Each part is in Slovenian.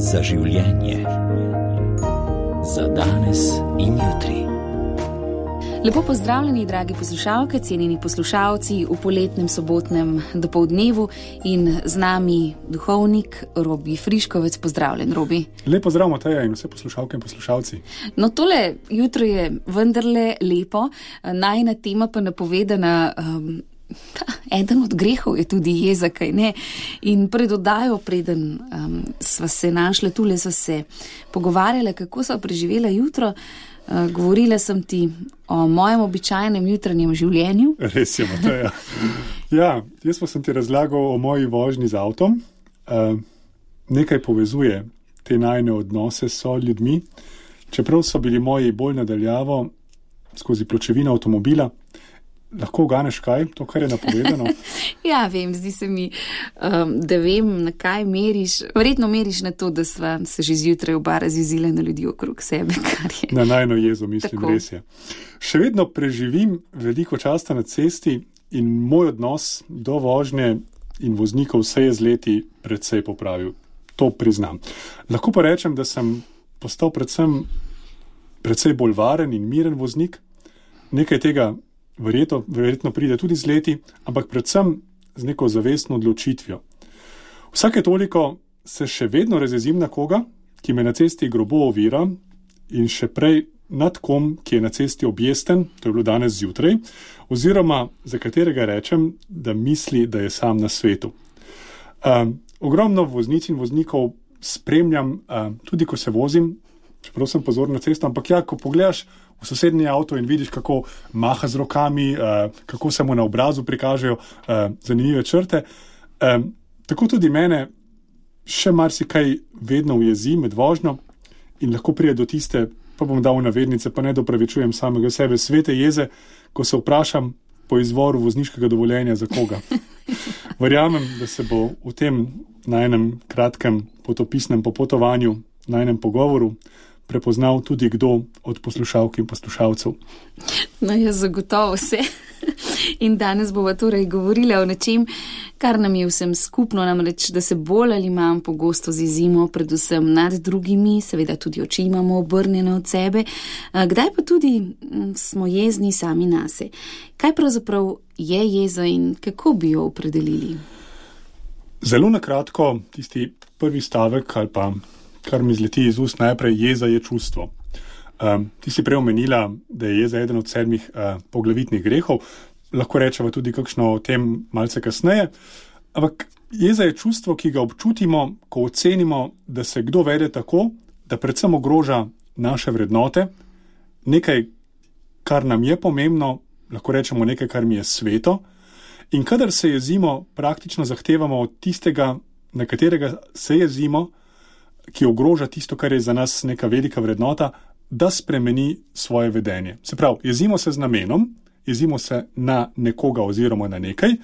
za življenje. Za danes in jutri. Lepo pozdravljeni, dragi poslušalke, cenjeni poslušalci v poletnem sobotnem dopoldnevu in z nami duhovnik Robi Friškovec. Pozdravljen, Robi. Lepo zdrav, Mateja, in vse poslušalke in poslušalci. No, tole jutro je vendarle lepo, najina tema pa napovedana. Eden od grehov je tudi jeza, kaj ne? In pred oddajo, preden sva se našla, tule sva se pogovarjala, kako sva preživela jutro. Govorila sem ti o mojem običajnem jutranjem življenju. Res je, Mateja. Ja, jaz pa sem ti razlagal o moji vožnji z avtom. Nekaj povezuje te najine odnose s ljudmi. Čeprav so bili moji bolj nadaljavo skozi pločevino avtomobila, lahko uganeš kaj, to, kar je napovedano? Ja, vem, zdi se mi, da vem, na kaj meriš. Verjetno meriš na to, da sva se že zjutraj oba razjezila na ljudi okrog sebe, kar je. Na najino jezo, mislim, tako. Res je. Še vedno preživim veliko časa na cesti in moj odnos do vožnje in voznikov se je z leti precej popravil. To priznam. Lahko pa rečem, da sem postal precej bolj varen in miren voznik. Nekaj tega verjetno pride tudi z leti, ampak predvsem z neko zavestno odločitvijo. Vsake toliko se še vedno razjezim na koga, ki me na cesti grobo ovira, in še prej nad kom, ki je na cesti objesten, to je bilo danes zjutraj, oziroma za katerega rečem, da misli, da je sam na svetu. Ogromno voznic in voznikov spremljam, tudi ko se vozim, čeprav sem pozoren na cesto, ampak ja, ko pogledaš v sosednji avto in vidiš, kako maha z rokami, kako se mu na obrazu prikažejo zanimive črte. Tako tudi mene še marsikaj vedno ujezi med vožnjo in lahko pride do tiste, pa bom dal navednice, pa ne dopravičujem samega sebe, svete jeze, ko se vprašam po izvoru vozniškega dovoljenja za koga. Verjamem, da se bo v tem najnem kratkem potopisnem popotovanju, najnem pogovoru prepoznal tudi kdo od poslušalk in poslušalcev. No, jaz zagotovo se. In danes bova torej govorila o nečem, kar nam je vsem skupno, namreč, da se bolj ali manj pogosto zjezimo, predvsem nad drugimi, seveda tudi oči imamo obrnjene od sebe, kdaj pa tudi smo jezni sami nase. Kaj pravzaprav je jeza in kako bi jo opredelili? Zelo na kratko, tisti prvi stavek ali pa kar mi zleti iz ust najprej, jeza je čustvo. Ti si prej omenila, da je jeza eden od 7 poglavitnih grehov, lahko rečeva tudi kakšno o tem malce kasneje, ampak jeza je čustvo, ki ga občutimo, ko ocenimo, da se kdo vede tako, da predvsem ogroža naše vrednote, nekaj, kar nam je pomembno, lahko rečemo nekaj, kar mi je sveto, in kadar se jezimo, praktično zahtevamo od tistega, na katerega se jezimo, ki ogroža tisto, kar je za nas neka velika vrednota, da spremeni svoje vedenje. Se pravi, jezimo se z namenom, jezimo se na nekoga oziroma na nekaj,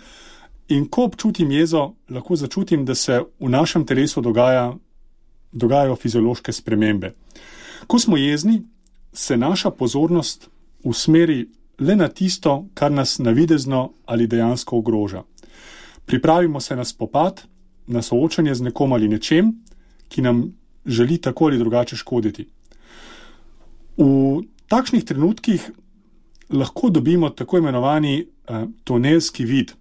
in ko občutim jezo, lahko začutim, da se v našem telesu dogajajo fiziološke spremembe. Ko smo jezni, se naša pozornost usmeri le na tisto, kar nas navidezno ali dejansko ogroža. Pripravimo se na spopad, na soočanje z nekom ali nečem, ki nam želi tako ali drugače škoditi. V takšnih trenutkih lahko dobimo tako imenovani tunelski vid,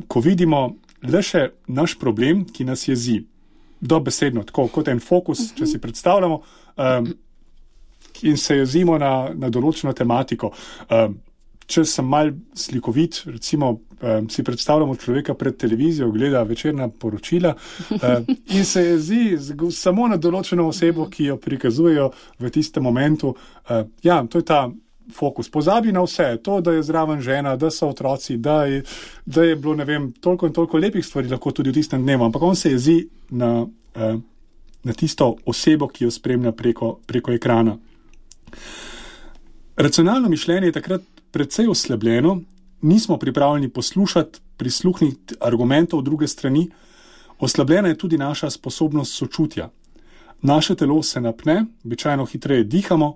ko vidimo le še naš problem, ki nas jezi. Dobesedno, tako kot en fokus, če si predstavljamo, in se jezimo na določeno tematiko. Če sem mal slikovit, recimo si predstavljamo človeka pred televizijo, gleda večerna poročila in se jezi samo na določeno osebo, ki jo prikazujejo v tistem momentu. Ja, to je ta fokus. Pozabi na vse, to, da je zraven žena, da so otroci, da je bilo, ne vem, toliko in toliko lepih stvari lahko tudi v tistem dnevu, ampak on se jezi na tisto osebo, ki jo spremlja preko ekrana. Racionalno mišljenje je takrat precej oslabljeno, nismo pripravljeni poslušati, prisluhniti argumentov druge strani, oslabljena je tudi naša sposobnost sočutja. Naše telo se napne, običajno hitreje dihamo,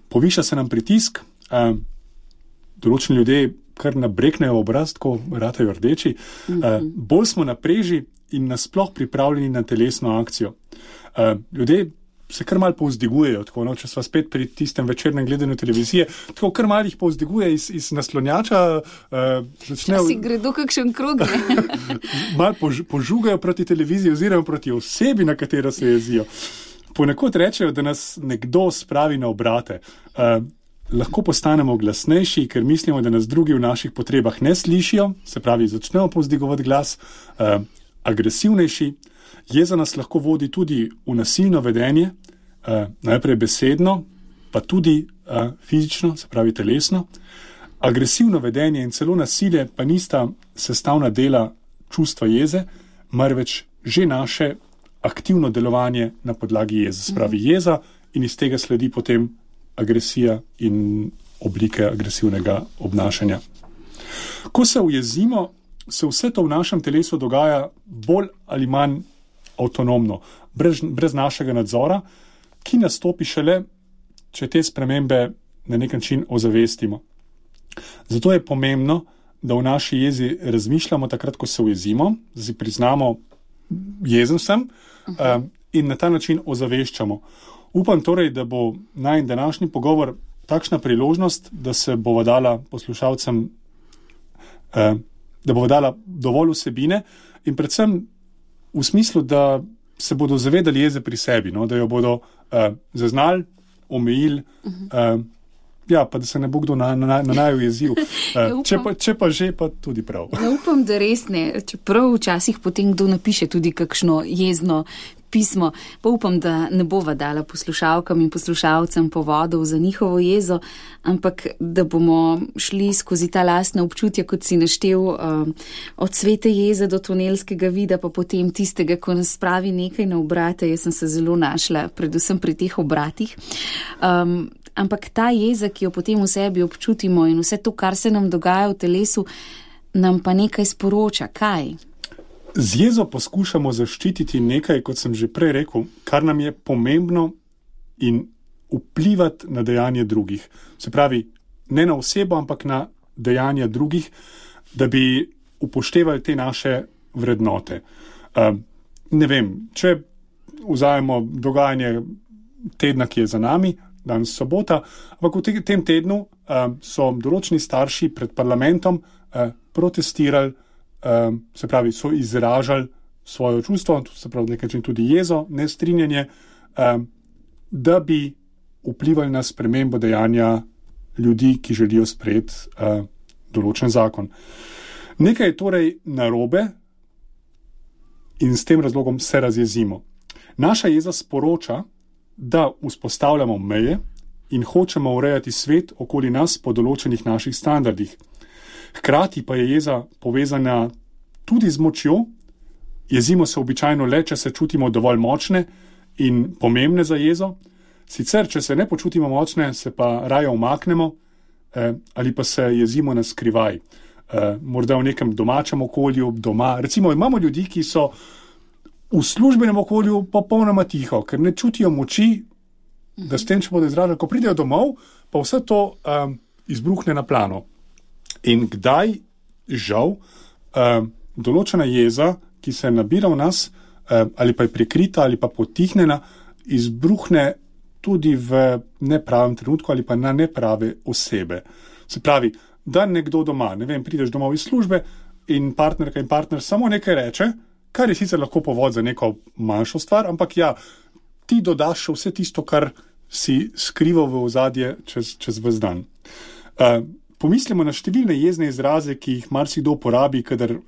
poviša se nam pritisk, določeni ljudje kar nabreknejo obraz, ko ratajo rdeči, bolj smo na preži in nasploh pripravljeni na telesno akcijo. Ljudje se kar malo povzdigujejo, tako, no, če sva spet pri tistem večernem gledanju televizije, tako kar malo jih povzdiguje iz naslonjača. Si gredo kakšen krog, ne? Malo požugajo proti televiziji oziroma proti osebi, na katero se jezijo. Ponekod rečejo, da nas nekdo spravi na obrate. Lahko postanemo glasnejši, ker mislimo, da nas drugi v naših potrebah ne slišijo, se pravi, začnemo povzdigovati glas, agresivnejši. Jeza nas lahko vodi tudi v nasilno vedenje, najprej besedno, pa tudi fizično, se pravi telesno. Agresivno vedenje in celo nasilje pa nista sestavna dela čustva jeze, marveč že naše aktivno delovanje na podlagi jeze. Se pravi jeza in iz tega sledi potem agresija in oblike agresivnega obnašanja. Ko se ujezimo, se vse to v našem telesu dogaja bolj ali manj avtonomno, brez našega nadzora, ki nastopi šele, če te spremembe na nek način ozavestimo. Zato je pomembno, da v naši jezi razmišljamo takrat, ko se ujezimo, da si priznamo, jezen sem, in na ta način ozaveščamo. Upam torej, da bo najin današnji pogovor takšna priložnost, da se bova dala poslušalcem, da bova dala dovolj vsebine in predvsem v smislu, da se bodo zavedali jeze pri sebi, no? Da jo bodo zaznali, omejili, pa da se ne bo kdo na naju jezil. Če pa že, pa tudi prav. Upam, da res ne, čeprav včasih potem kdo napiše tudi kakšno jezno pismo, pa upam, da ne bova dala poslušalkam in poslušalcem povodov za njihovo jezo, ampak da bomo šli skozi ta lastna občutja, kot si naštel, od svete jeze do tunelskega vida, pa potem tistega, ko nas spravi nekaj na obrate. Jaz sem se zelo našla, predvsem pri teh obratih. Ampak ta jeza, ki jo potem v sebi občutimo in vse to, kar se nam dogaja v telesu, nam pa nekaj sporoča. Kaj? Z jezo poskušamo zaščititi nekaj, kot sem že prej rekel, kar nam je pomembno in vplivati na dejanje drugih. Se pravi, ne na osebo, ampak na dejanja drugih, da bi upoštevali te naše vrednote. Ne vem, če vzajemo dogajanje tedna, ki je za nami, danes sobota, ampak v tem tednu so določeni starši pred parlamentom protestirali, se pravi, so izražali svoje čustvo, se pravi, nekaj tudi jezo, nestrinjanje, da bi vplivali na spremembo dejanja ljudi, ki želijo sprejeti določen zakon. Nekaj je torej narobe in s tem razlogom se razjezimo. Naša jeza sporoča, da vzpostavljamo meje in hočemo urejati svet okoli nas po določenih naših standardih. Hkrati pa je jeza povezana tudi z močjo. Jezimo se običajno le, če se čutimo dovolj močne in pomembne za jezo. Sicer, če se ne počutimo močne, se pa raje umaknemo ali pa se jezimo na skrivaj. Morda v nekem domačem okolju, doma. Recimo, imamo ljudi, ki so v službenem okolju popolnoma tiho, ker ne čutijo moči, da s tem, če bodo izražali, ko pridejo domov, pa vse to izbruhne na plano. In kdaj, žal, določena jeza, ki se nabira v nas, ali pa je prikrita, ali pa potihnjena, izbruhne tudi v nepravem trenutku ali pa na neprave osebe. Se pravi, da nekdo doma, ne vem, prideš domov iz službe in partnerka in partner samo nekaj reče, kar je sicer lahko povod za neko manjšo stvar, ampak ja, ti dodaš še vse tisto, kar si skrival v ozadje čez ves dan. Pomislimo na številne jezne izraze, ki jih marsikdo uporabi, kadar,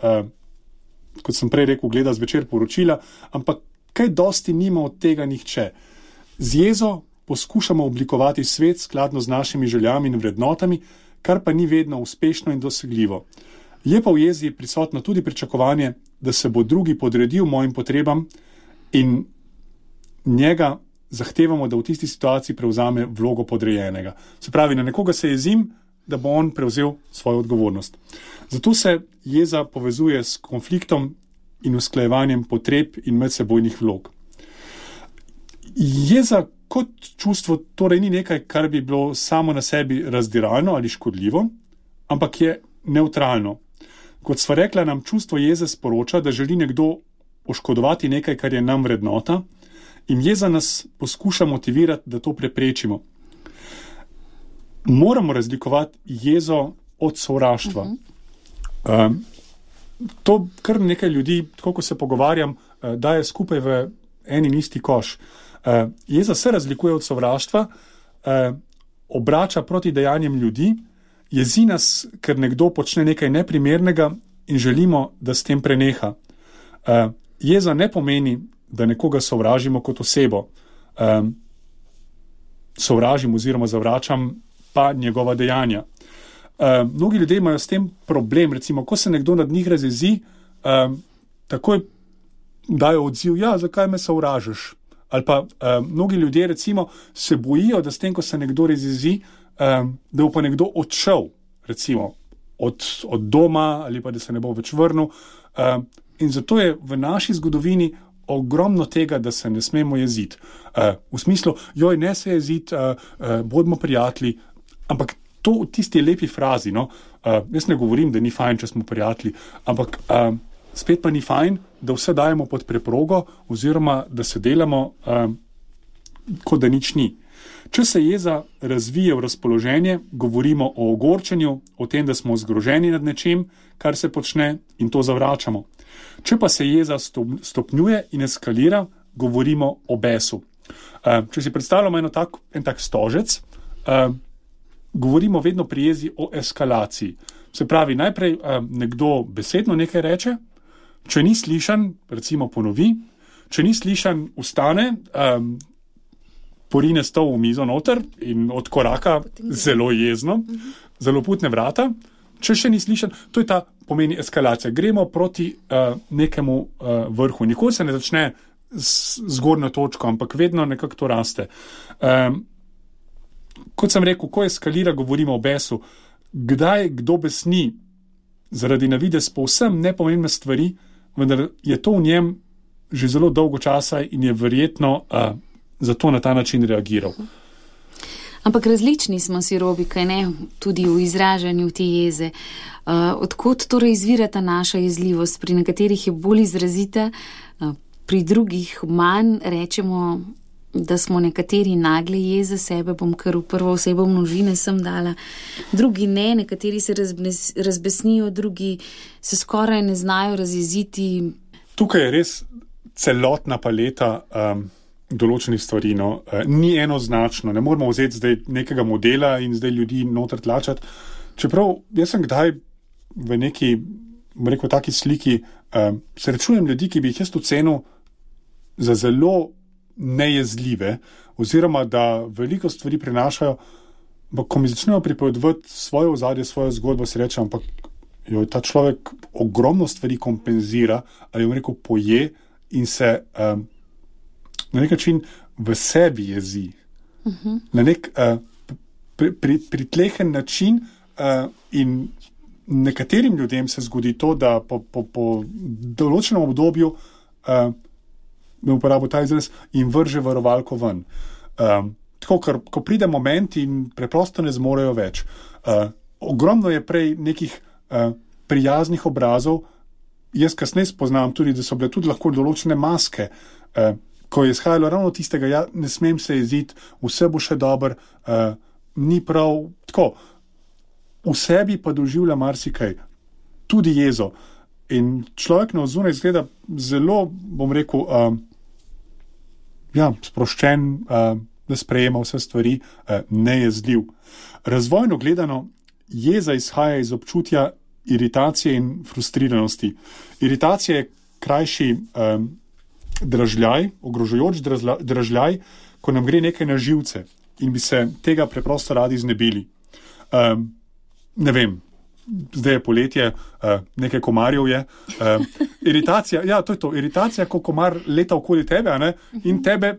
kot sem prej rekel, gleda zvečer poročila, ampak kaj dosti nima od tega nihče. Z jezo poskušamo oblikovati svet skladno z našimi željami in vrednotami, kar pa ni vedno uspešno in dosegljivo. Je pa v jezi prisotno tudi pričakovanje, da se bo drugi podredil mojim potrebam in njega zahtevamo, da v tisti situaciji prevzame vlogo podrejenega. Se pravi, na nekoga se jezim, da bo on prevzel svojo odgovornost. Zato se jeza povezuje s konfliktom in usklajevanjem potreb in medsebojnih vlog. Jeza kot čustvo torej ni nekaj, kar bi bilo samo na sebi razdiralno ali škodljivo, ampak je nevtralno. Kot sva rekla, nam čustvo jeze sporoča, da želi nekdo oškodovati nekaj, kar je nam vrednota, in jeza nas poskuša motivirati, da to preprečimo. Moramo razlikovati jezo od sovraštva. To kar nekaj ljudi, tako ko se pogovarjam, daje skupaj v en in isti koš. Jeza se razlikuje od sovraštva, obrača proti dejanjem ljudi, jezi nas, ker nekdo počne nekaj neprimernega in želimo, da s tem preneha. Jeza ne pomeni, da nekoga sovražimo kot osebo. Sovražim oziroma zavračam pa njegova dejanja. Mnogi ljudje imajo s tem problem, recimo, ko se nekdo nad njih razjezi, takoj dajo odziv, ja, zakaj me sovražiš? Ali pa mnogi ljudje, recimo, se bojijo, da s tem, ko se nekdo razjezi, da bo pa nekdo odšel, recimo, od doma ali pa da se ne bo več vrnil. In zato je v naši zgodovini ogromno tega, da se ne smemo jeziti. V smislu, joj, ne se jeziti, bodimo prijatelji, ampak to v tisti lepi frazi, no, jaz ne govorim, da ni fajn, če smo prijatelji, ampak spet pa ni fajn, da vse dajemo pod preprogo oziroma da se delamo, kot da nič ni. Če se jeza razvije v razpoloženje, govorimo o ogorčenju, o tem, da smo zgroženi nad nečim, kar se počne, in to zavračamo. Če pa se jeza stopnjuje in eskalira, govorimo o besu. Če si predstavljamo en tak stožec, govorimo vedno pri jezi o eskalaciji. Se pravi, najprej nekdo besedno nekaj reče, če ni slišan, recimo ponovi, če ni slišan, vstane, porine stol v mizo noter in odkoraka zelo jezno, zelo putne vrata. Če še ni slišan, to je ta pomeni eskalacija. Gremo proti nekemu vrhu. Nikoli se ne začne z zgornjo točko, ampak vedno nekako to raste. Kot sem rekel, ko eskalira, govorimo o besu. Kdaj kdo besni zaradi na videz povsem nepomembne stvari, vendar je to v njem že zelo dolgo časa in je verjetno zato na ta način reagiral. Ampak različni smo si, Robi, kaj ne, tudi v izražanju te jeze. Odkot torej izvira ta naša jezljivost? Pri nekaterih je bolj izrazita, pri drugih manj. Rečemo, da smo nekateri nagle jeze sebe, bom kar v prvo osebo množine sem dala. Drugi ne, nekateri se razbesnijo, drugi se skoraj ne znajo razjeziti. Tukaj je res celotna paleta določenih stvari, no. Ni enoznačno, ne moramo vzeti zdaj nekega modela in zdaj ljudi noter tlačati. Čeprav jaz sem kdaj v neki, rekel, taki sliki, srečujem ljudi, ki bi jih jaz ocenil za zelo nejezljive, oziroma da veliko stvari prenašajo, ampak ko mi začnejo pripovedovati svoje ozadje, svojo zgodbo, si rečem, ampak ta človek ogromno stvari kompenzira, ali bom rekel, poje in se na nek način v sebi jezi. Na nek pritlehen način in nekaterim ljudem se zgodi to, da po določenem obdobju me uporabo ta izraz in vrže varovalko ven. Tako, ko pride moment in preprosto ne zmorejo več. Ogromno je prej nekih prijaznih obrazov, jaz kasneje spoznam tudi, da so bile tudi lahko določene maske, ko je izhajalo ravno tistega, ja, ne smem se jeziti, vse bo še dobro, ni prav, tako, v sebi pa doživlja marsikaj, tudi jezo. In človek na ozunaj izgleda zelo, bom rekel, sproščen, da sprejema vse stvari, nejezljiv. Razvojno gledano, jeza izhaja iz občutja iritacije in frustriranosti. Iritacija je krajši dražljaj, ogrožajoč dražljaj, ko nam gre nekaj na živce in bi se tega preprosto radi znebili. Ne vem, zdaj je poletje, nekaj komarjev je. Iritacija, ja, to je to. Iritacija, ko komar leta okoli tebe, a ne, in tebe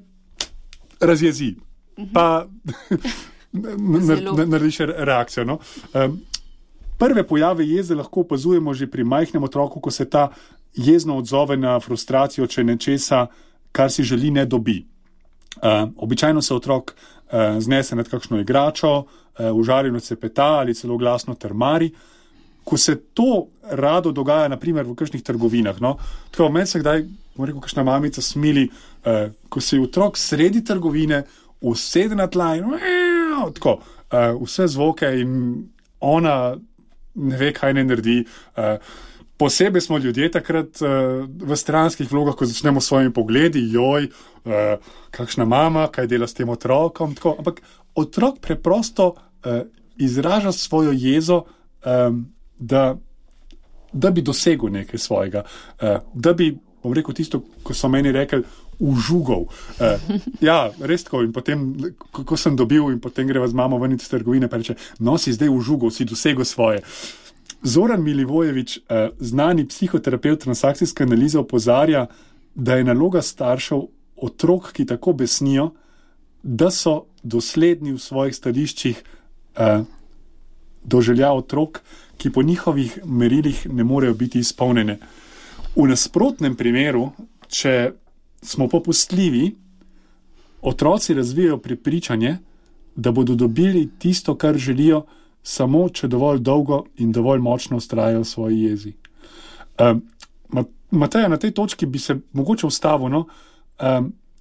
razjezi. Pa narediš reakcijo, no. Prve pojave jeze lahko opazujemo že pri majhnem otroku, ko se ta jezno odzove na frustracijo, če nečesa, kar si želi, ne dobi. Običajno se otrok znese nad kakšno igračo, užaljeno cepeta ali celo glasno trmari. ko se to rado dogaja, naprimer v kakšnih trgovinah, no, tako meni se kdaj, bom rekel, kakšna mamica smili, ko se je otrok sredi trgovine usede na tla in tako, vse zvoke in ona ne ve, kaj ne naredi. Posebej smo ljudje takrat v stranskih vlogah, ko začnemo s svojimi pogledi, kakšna mama, kaj dela s tem otrokom, tako, ampak otrok preprosto izraža svojo jezo, da bi dosegel nekaj svojega, da bi, bom rekel tisto, ko so meni rekli, užugal. Ja, res tako, in potem, ko sem dobil in potem greva z mamo ven iz trgovine, pa reče, no, si zdaj užugal, si dosegel svoje. Zoran Milivojevič, znani psihoterapevt transakcijske analize, opozarja, da je naloga staršev otrok, ki tako besnijo, da so dosledni v svojih stališčih do želja otrok, ki po njihovih merilih ne morejo biti izpolnjene. V nasprotnem primeru, če smo popustljivi, otroci razvijajo prepričanje, da bodo dobili tisto, kar želijo, samo če dovolj dolgo in dovolj močno vztrajajo v svoji jezi. Mateja, na tej točki bi se mogoče ustavil, no?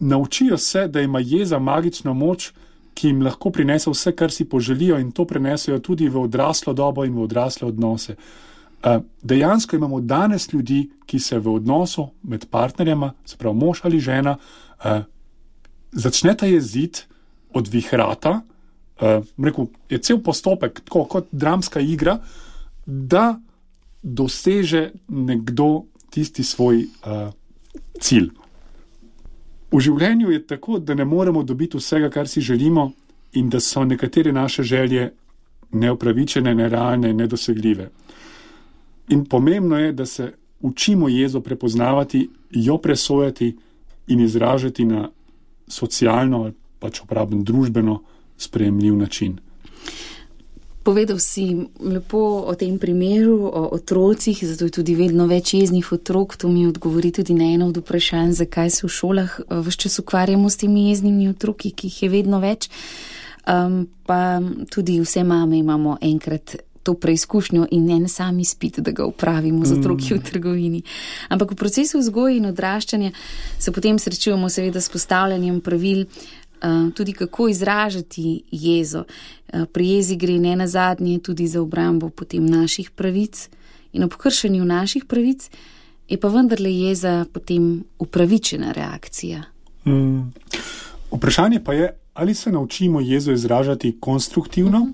Naučijo se, da ima jeza magično moč, ki jim lahko prinese vse, kar si poželijo, in to prenesejo tudi v odraslo dobo in v odrasle odnose. Dejansko imamo danes ljudi, ki se v odnosu med partnerjema, se pravi mož ali žena, začneta jeziti od vihrata, rekel, je cel postopek, tako kot dramska igra, da doseže nekdo tisti svoj cilj. V življenju je tako, da ne moremo dobiti vsega, kar si želimo, in da so nekatere naše želje neupravičene, nerealne, nedosegljive. In pomembno je, da se učimo jezo prepoznavati, jo presojati in izražati na socialno ali pač uporabno družbeno sprejemljiv način. Povedal si lepo o tem primeru, o otrocih, zato je tudi vedno več jeznih otrok. To mi odgovori tudi na eno od vprašanj, zakaj se v šolah ves čas ukvarjamo s temi jeznimi otroki, ki jih je vedno več. Pa tudi vse mame imamo enkrat to preizkušnjo in en sam izpit, da ga upravimo z otroki v trgovini. Ampak v procesu vzgoje in odraščanja se potem srečujemo seveda s postavljanjem pravil, tudi kako izražati jezo. Pri jezi gre ne nazadnje tudi za obrambo potem naših pravic in ob kršenju naših pravic je pa vendarle jeza potem upravičena reakcija. Vprašanje pa je, ali se naučimo jezo izražati konstruktivno,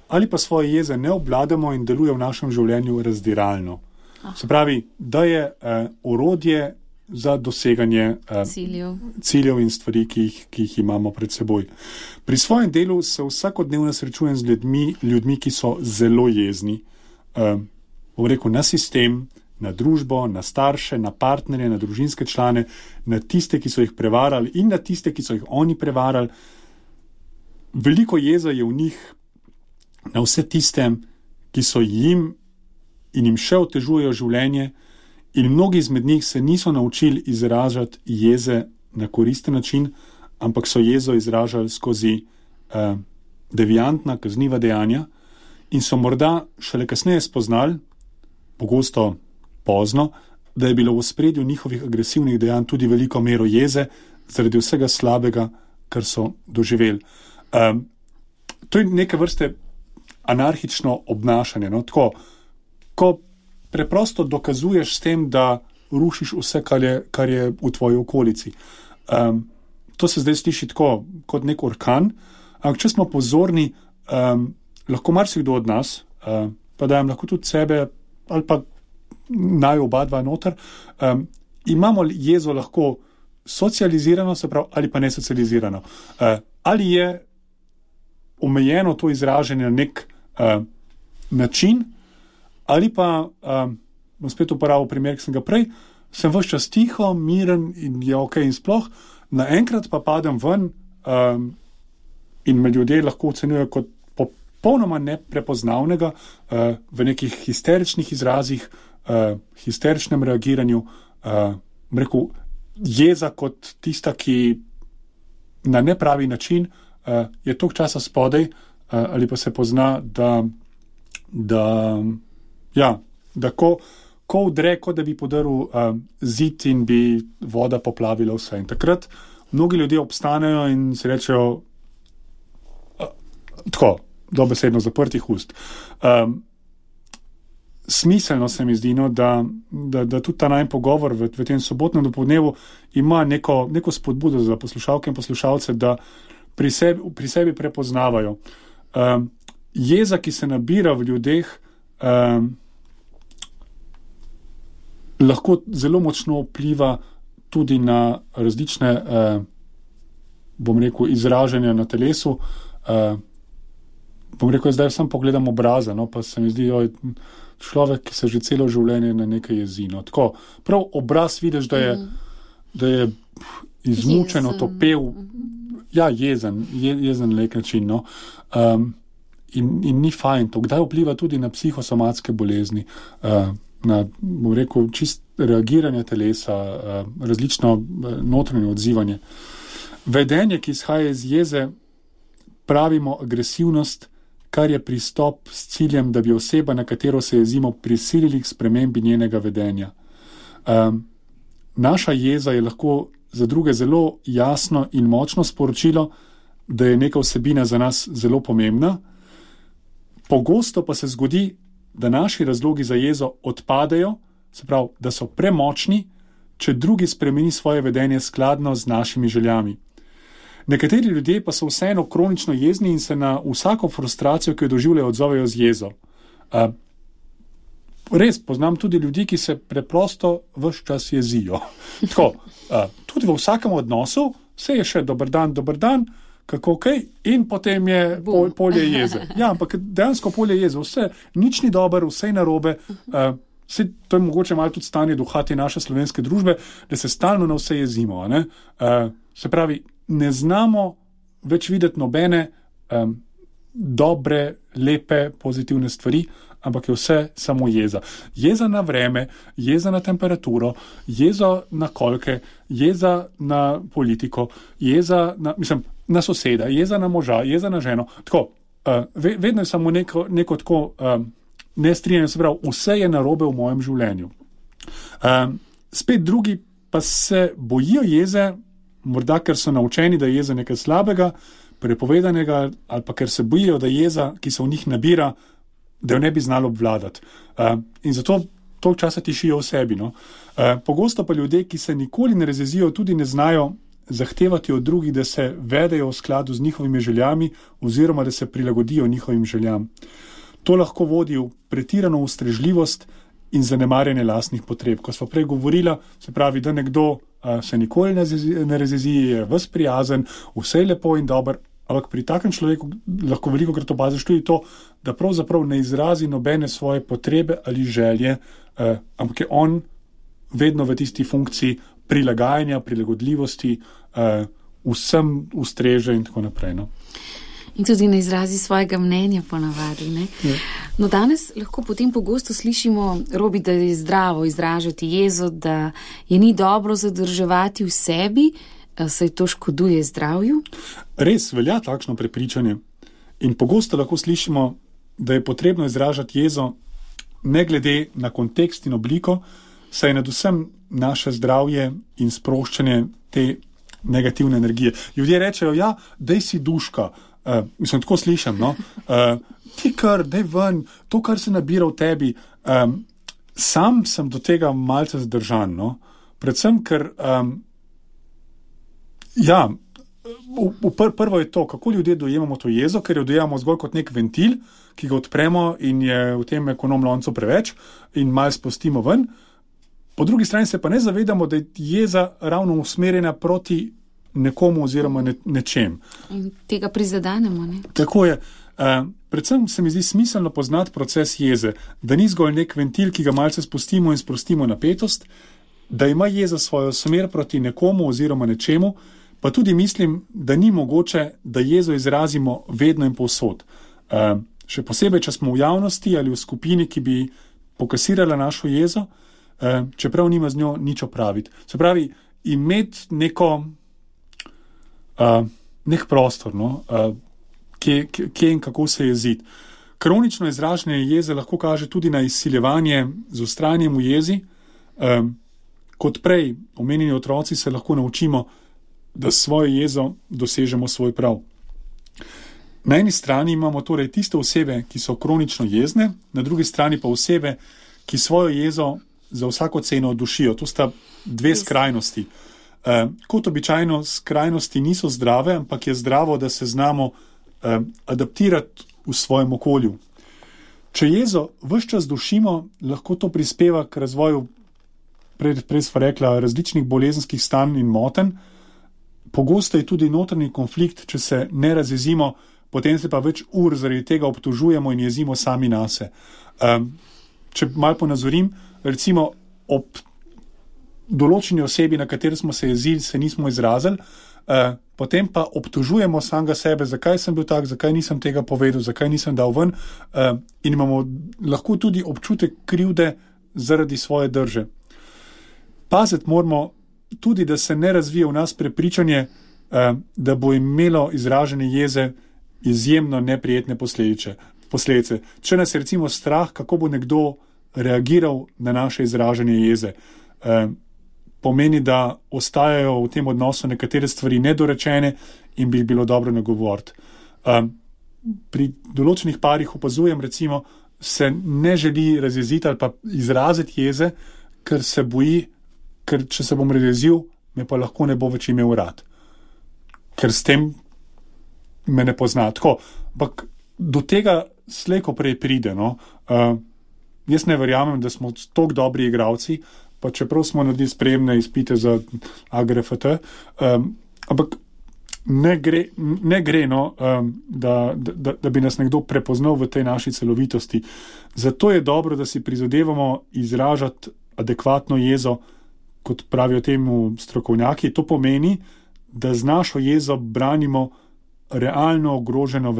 ali pa svoje jeze ne obvladamo in deluje v našem življenju razdiralno. Se pravi, da je orodje za doseganje ciljev in stvari, ki jih imamo pred seboj. Pri svojem delu se vsakodnevno srečujem z ljudmi, ki so zelo jezni. Bom rekel, na sistem, na družbo, na starše, na partnerje, na družinske člane, na tiste, ki so jih prevarali in na tiste, ki so jih oni prevarali. Veliko jeza je v njih na vse tiste, ki so jim in jim še otežujejo življenje, in mnogi izmed njih se niso naučili izražati jeze na koristen način, ampak so jezo izražali skozi deviantna, kazniva dejanja in so morda šele kasneje spoznali, pogosto pozno, da je bilo v ospredju njihovih agresivnih dejanj tudi veliko mero jeze zaradi vsega slabega, kar so doživeli. To je neke vrste anarhično obnašanje. No? Tako, ko preprosto dokazuješ s tem, da rušiš vse, kar je v tvoji okolici. To se zdaj sliši tako kot nek orkan, ampak če smo pozorni, lahko marsikdo od nas, pa dajem lahko tudi sebe, ali pa naj oba dva noter, imamo jezo lahko socializirano, se pravi, ali pa nesocializirano. Ali je omejeno to izražanje na nek način, ali pa, bom spet uporabil primer, ki sem ga prej, sem ves čas tiho, miren in je ok in sploh, naenkrat pa padem ven in me ljudje lahko ocenjujejo kot popolnoma neprepoznavnega v nekih histeričnih izrazih, histeričnem reagiranju, rekel, jeza kot tista, ki na nepravi način je toliko časa spodaj, ali pa se pozna, da Ja, da ko vdre, kot da bi podaril zid in bi voda poplavila vse. In takrat mnogi ljudje obstanejo in si rečejo tako, dobesedno zaprtih ust. Smiselno se mi zdi, no, da tudi ta najmanj pogovor v tem sobotnem dopoldnevu ima neko spodbudo za poslušalke in poslušalce, da pri sebi prepoznavajo. Jeza, ki se nabira v ljudeh, lahko zelo močno vpliva tudi na različne, bom rekel, izražanja na telesu. Bom rekel, zdaj sam pogledam obraze, no, pa se mi zdi, človek, ki se že celo življenje na nekaj jezi. No. Tako, prav obraz vidiš, da je izmučen, otopel, ja, jezen na nek način. No. In ni fajn to. Kdaj vpliva tudi na psihosomatske bolezni, na, bom rekel, čist reagiranje telesa, različno notranje odzivanje. Vedenje, ki izhaja iz jeze, pravimo agresivnost, kar je pristop s ciljem, da bi oseba, na katero se jezimo, prisilili k spremembi njenega vedenja. Naša jeza je lahko za druge zelo jasno in močno sporočilo, da je neka vsebina za nas zelo pomembna. Pogosto pa se zgodi, da naši razlogi za jezo odpadejo, se pravi, da so premočni, če drugi spremeni svoje vedenje skladno z našimi željami. Nekateri ljudje pa so vseeno kronično jezni in se na vsako frustracijo, ki jo doživljajo, odzovejo z jezo. Res, poznam tudi ljudi, ki se preprosto ves čas jezijo. Tako, tudi v vsakem odnosu vse je še dober dan, kako kaj, in potem je polje jeze. Ja, ampak dejansko polje jeze, vse, nič ni dober, vse je narobe. To je mogoče malo tudi stanje duha te naše slovenske družbe, da se stalno na vse jezimo. Ne? Se pravi, ne znamo več videti nobene dobre, lepe, pozitivne stvari, ampak je vse samo jeza. Jeza na vreme, jeza na temperaturo, jeza na kolke, jeza na politiko, jeza na soseda, jeza na moža, jeza na ženo. Tako, vedno je samo neko tako nestrinjanje, se pravi, vse je narobe v mojem življenju. Spet drugi pa se bojijo jeze, morda ker so naučeni, da je jeza nekaj slabega, prepovedanega, ali pa ker se bojijo, da jeza, ki se v njih nabira, da jo ne bi znalo obvladati. In zato toliko časa tišijo v sebi. No? Pogosto pa ljudje, ki se nikoli ne razjezijo, tudi ne znajo zahtevati od drugih, da se vedejo v skladu z njihovimi željami oziroma da se prilagodijo njihovim željam. To lahko vodi v pretirano ustrežljivost in zanemarjanje lastnih potreb. Ko smo prej govorila, se pravi, da nekdo se nikoli ne razjezi, je ves prijazen, vse je lepo in dobro, ampak pri takem človeku lahko veliko krat opaziš tudi to, da pravzaprav ne izrazi nobene svoje potrebe ali želje, ampak je on vedno v tisti funkciji prilagajanja, prilagodljivosti, vsem ustreže in tako naprej. No. In tudi ne izrazi svojega mnenja ponavadi. Ne? Ja. No, danes lahko potem pogosto slišimo, Robi, da je zdravo izražati jezo, da je ni dobro zadrževati v sebi, saj to škoduje zdravju. Res velja takšno prepričanje. In pogosto lahko slišimo, da je potrebno izražati jezo ne glede na kontekst in obliko, saj je nadvsem naše zdravje in sproščanje te negativne energije. Ljudje rečejo, ja, dej si duška. Mislim, tako slišam, no? Ti kar, dej ven, to, kar se nabira v tebi. Sam sem do tega malce zdržan, no? Predvsem, ker prvo je to, kako ljudje dojemamo to jezo, ker jo dojemamo zgolj kot nek ventil, ki ga odpremo in je v tem ekonom loncu preveč in malo spustimo ven. Po drugi strani se pa ne zavedamo, da je jeza ravno usmerjena proti nekomu oziroma nečem. In tega prizadanemo, ne? Tako je. Predvsem se mi zdi smiselno poznati proces jeze, da ni zgolj nek ventil, ki ga malce spustimo in sprostimo napetost, da ima jeza svojo smer proti nekomu oziroma nečemu, pa tudi mislim, da ni mogoče, da jezo izrazimo vedno in povsod. Še posebej, če smo v javnosti ali v skupini, ki bi pokasirala našo jezo, čeprav nima z njo nič opraviti. Se pravi, imeti nek prostor, no, kje in kako se jeziti. Kronično izražanje jeze lahko kaže tudi na izsiljevanje z vztrajanjem v jezi. Kot prej omenjeni otroci se lahko naučimo, da svojo jezo dosežemo svoj prav. Na eni strani imamo torej tiste osebe, ki so kronično jezne, na drugi strani pa osebe, ki svojo jezo za vsako ceno dušijo. To sta dve skrajnosti. Kot običajno skrajnosti niso zdrave, ampak je zdravo, da se znamo adaptirati v svojem okolju. Če jezo ves čas dušimo, lahko to prispeva k razvoju, prej sva rekla, različnih bolezenskih stanj in motenj. Pogosto je tudi notranji konflikt, če se ne razjezimo, potem se pa več ur zaradi tega obtožujemo in jezimo sami nase. Če malo ponazorim, recimo ob določeni osebi, na kateri smo se jezili, se nismo izrazili, potem pa obtožujemo samega sebe, zakaj sem bil tak, zakaj nisem tega povedal, zakaj nisem dal ven, in imamo lahko tudi občutek krivde zaradi svoje drže. Paziti moramo tudi, da se ne razvije v nas prepričanje, da bo imelo izražanje jeze izjemno neprijetne posledice. Če nas je recimo strah, kako bo nekdo reagiral na naše izražanje jeze, pomeni, da ostajajo v tem odnosu nekatere stvari nedorečene in bi jih bilo dobro nagovoriti. Pri določenih parih opazujem, recimo, se ne želi razjeziti ali pa izraziti jeze, ker se boji, ker če se bom razjezil, me pa lahko ne bo več imel rad. Ker s tem me ne pozna. Tako, ampak do tega slej ko prej pride. No? Jaz ne verjamem, da smo toliko dobri igralci, pa čeprav smo naredili sprejemne izpite za AGRFT, ampak ne gre no, da bi nas nekdo prepoznal v tej naši celovitosti. Zato je dobro, da si prizadevamo izražati adekvatno jezo, kot pravijo temu strokovnjaki. To pomeni, da z našo jezo branimo realno ogroženo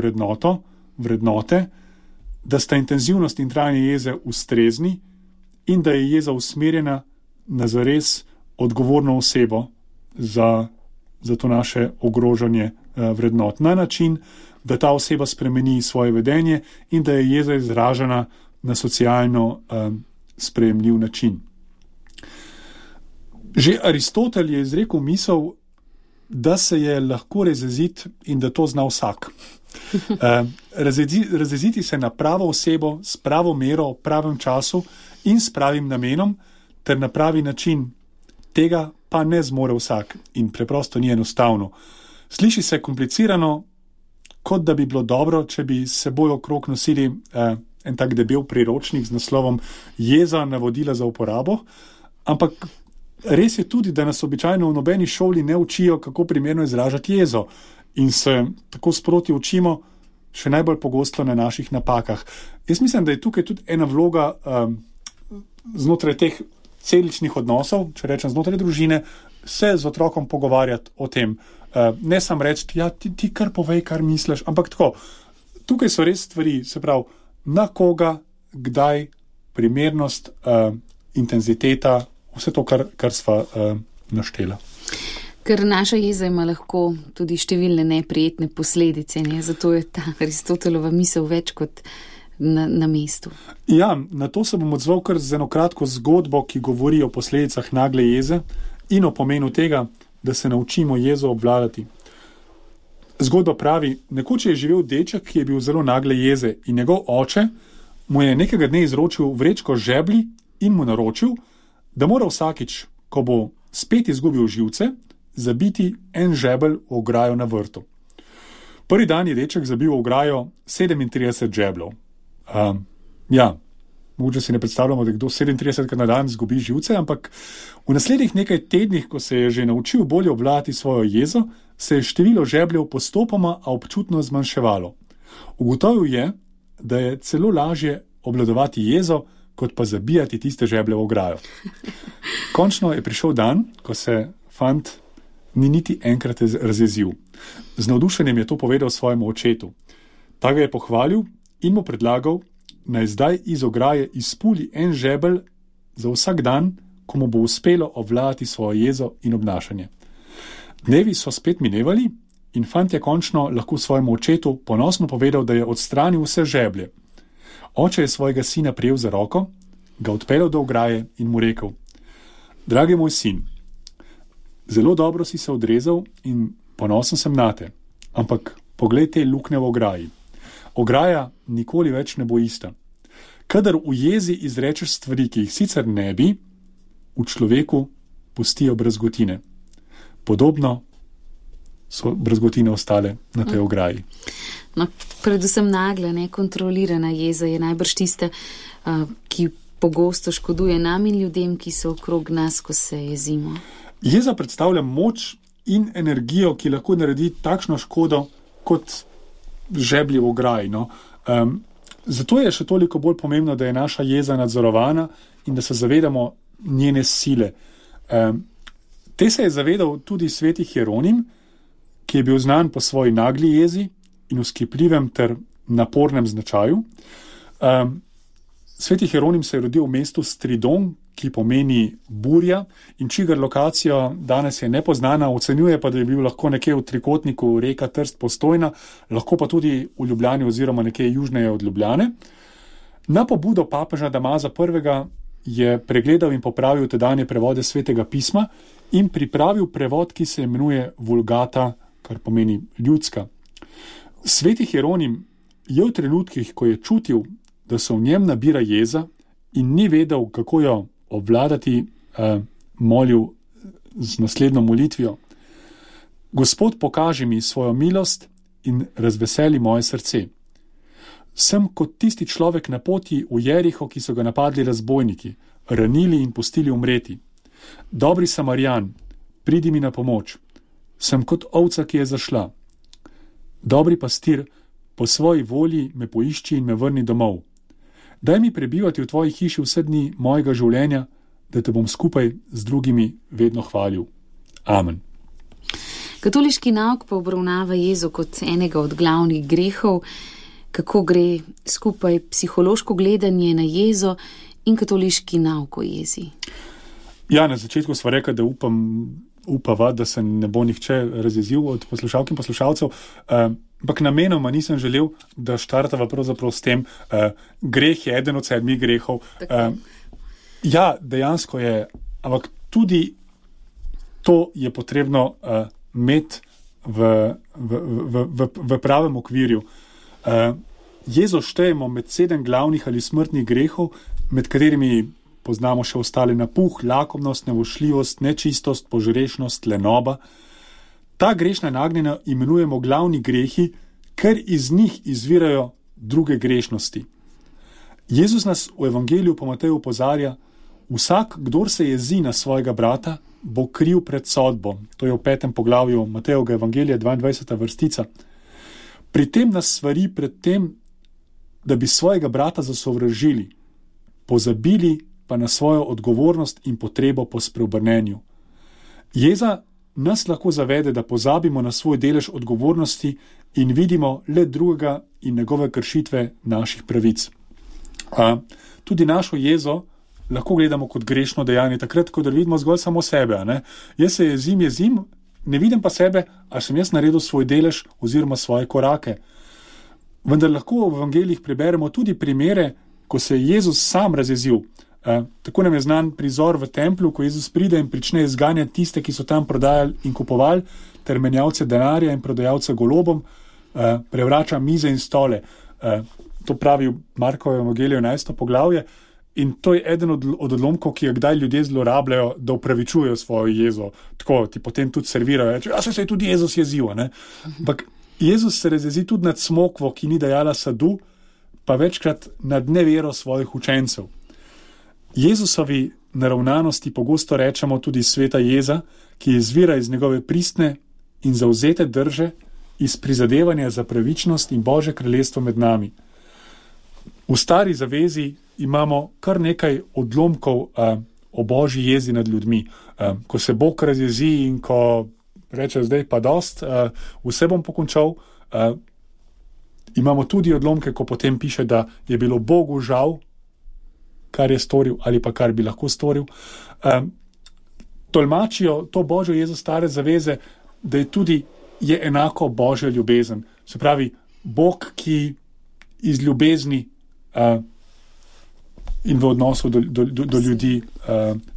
vrednote, da sta intenzivnost in trajanje jeze ustrezni in da je jeza usmerjena na zares odgovorno osebo za to naše ogrožanje vrednot. Na način, da ta oseba spremeni svoje vedenje in da je jeza izražena na socialno sprejemljiv način. Že Aristotel je izrekel misel, da se je lahko razjeziti in da to zna vsak. Razjeziti se na pravo osebo, s pravo mero, v pravem času in s pravim namenom ter na pravi način. Tega pa ne zmore vsak in preprosto ni enostavno. Sliši se komplicirano, kot da bi bilo dobro, če bi s seboj okrog nosili en tak debel priročnik z naslovom Jeza, navodila za uporabo, ampak res je tudi, da nas običajno v nobeni šoli ne učijo, kako primerno izražati jezo in se tako sproti učimo še najbolj pogosto na naših napakah. Jaz mislim, da je tukaj tudi ena vloga znotraj teh celičnih odnosov, če rečem znotraj družine, se z otrokom pogovarjati o tem. Ne sam reči, ja, ti kar povej, kar misliš, ampak tako. Tukaj so res stvari, se pravi, na koga, kdaj, primernost, intenziteta, vse to, kar sva naštela. Ker naša jeza ima lahko tudi številne neprijetne posledice, ne? Zato je ta Aristotelova misel več kot na mestu. Ja, na to se bom odzval kar z eno kratko zgodbo, ki govori o posledicah nagle jeze in o pomenu tega, da se naučimo jezo obvladati. Zgodba pravi, nekoč je živel deček, ki je bil zelo nagle jeze in njegov oče mu je nekega dne izročil vrečko žeblji in mu naročil, da mora vsakič, ko bo spet izgubil živce, zabiti en žebelj v ograjo na vrtu. Prvi dan je deček zabil v ograjo 37 žebljev. Ja, mogoče si ne predstavljamo, da kdo 37 na dan izgubi živce, ampak v naslednjih nekaj tednih, ko se je že naučil bolje obvladati svojo jezo, se je število žebljev postopoma, a občutno zmanjševalo. Ugotovil je, da je celo lažje obvladovati jezo, kot pa zabijati tiste žeblje v ograjo. Končno je prišel dan, ko se fant ni niti enkrat razjezil. Z navdušenjem je to povedal svojemu očetu. Ta ga je pohvalil in mu predlagal, naj zdaj iz ograje izpuli en žebelj za vsak dan, ko mu bo uspelo obvladati svojo jezo in obnašanje. Dnevi so spet minevali in fant je končno lahko svojemu očetu ponosno povedal, da je odstranil vse žeblje. Oče je svojega sina prijel za roko, ga odpeljal do ograje in mu rekel: Dragi moj sin, zelo dobro si se odrezal in ponosen sem nate, ampak poglej te luknje v ograji. Ograja nikoli več ne bo ista. Kadar v jezi izrečeš stvari, ki jih sicer ne bi, v človeku pustijo brazgotine. Podobno so brazgotine ostale na tej ograji. No, predvsem nagla, nekontrolirana jeza je najbrž tista, ki pogosto škoduje nam in ljudem, ki so okrog nas, ko se jezimo. Jeza predstavlja moč in energijo, ki lahko naredi takšno škodo kot žeblji v ograji. No. Zato je še toliko bolj pomembno, da je naša jeza nadzorovana in da se zavedamo njene sile. Te se je zavedal tudi sveti Hieronim, ki je bil znan po svoji nagli jezi in vzkipljivem ter napornem značaju. Sveti Hieronim se je rodil v mestu Stridon, ki pomeni burja in čigar lokacija danes je nepoznana, ocenjuje pa, da je bil lahko nekje v trikotniku reka Trst Postojna, lahko pa tudi v Ljubljani oziroma nekje južneje od Ljubljane. Na pobudo papeža Damaza I. je pregledal in popravil tedanje prevode svetega pisma in pripravil prevod, ki se imenuje Vulgata, kar pomeni ljudska. Sveti Hieronim je v trenutkih, ko je čutil, da se v njem nabira jeza in ni vedel, kako jo obvladati, molil z naslednjo molitvijo: Gospod, pokaži mi svojo milost in razveseli moje srce. Sem kot tisti človek na poti v Jeriho, ki so ga napadli razbojniki, ranili in pustili umreti. Dobri Samarijan, pridi mi na pomoč. Sem kot ovca, ki je zašla. Dobri pastir, po svoji volji me poišči in me vrni domov. Daj mi prebivati v tvoji hiši vse dni mojega življenja, da te bom skupaj z drugimi vedno hvalil. Amen. Katoliški nauk pa obravnava jezo kot enega od glavnih grehov. Kako gre skupaj psihološko gledanje na jezo in katoliški nauk o jezi? Ja, na začetku sva rekla, da upava, da se ne bo nihče razjezil od poslušalk in poslušalcev, ampak namenoma nisem želel, da štartava pravzaprav s tem, greh je eden od 7 grehov. Ja, dejansko je, ampak tudi to je potrebno imeti v pravem okvirju. Jezo štejemo med 7 glavnih ali smrtnih grehov, med katerimi poznamo še ostale napuh, lakomnost, nevošljivost, nečistost, požrešnost, lenoba. Ta grešna nagnjenja imenujemo glavni grehi, ker iz njih izvirajo druge grešnosti. Jezus nas v evangeliju po Mateju opozarja: vsak, kdor se jezi na svojega brata, bo kriv pred sodbo. To je v 5. poglavju Matejevega evangelija, 22. vrstica. Pri tem nas svari pred tem, da bi svojega brata zasovražili, pozabili pa na svojo odgovornost in potrebo po spreobrnenju. Jeza nas lahko zavede, da pozabimo na svoj delež odgovornosti in vidimo le drugega in njegove kršitve naših pravic. Tudi našo jezo lahko gledamo kot grešno dejanje, takrat, ko vidimo zgolj samo sebe. Ne? Jaz se jezim, ne vidim pa sebe, ali sem jaz naredil svoj delež oziroma svoje korake. Vendar lahko v evangeljih preberemo tudi primere, ko se je Jezus sam razjezil. Tako nam je znan prizor v templju, ko Jezus pride in prične izganjati tiste, ki so tam prodajali in kupovali, ter menjavce denarja in prodajalce golobom, prevrača mize in stole. To pravi v Markovem evangeliju 11. poglavje. In to je eden od odlomkov, ki ga kdaj ljudje zlorabljajo, da upravičujejo svojo jezo. Tako ti potem tudi servirajo, reče: ja, se je tudi Jezus jezil. Ampak Jezus se razjezi tudi nad smokvo, ki ni dajala sadu, pa večkrat nad nevero svojih učencev. Jezusovi naravnanosti pogosto rečemo tudi sveta jeza, ki izvira iz njegove pristne in zavzete drže, iz prizadevanja za pravičnost in Božje kraljestvo med nami. V stari zavezi imamo kar nekaj odlomkov o Božji jezi nad ljudmi. Ko se Bog razjezi in ko reče: zdaj pa dost, vse bom pokončal. Imamo tudi odlomke, ko potem piše, da je bilo Bogu žal, kar je storil ali pa kar bi lahko storil. Tolmačijo to Božjo jezo stare zaveze, da je enako Božja ljubezen. Se pravi, Bog, ki iz ljubezni in v odnosu do ljudi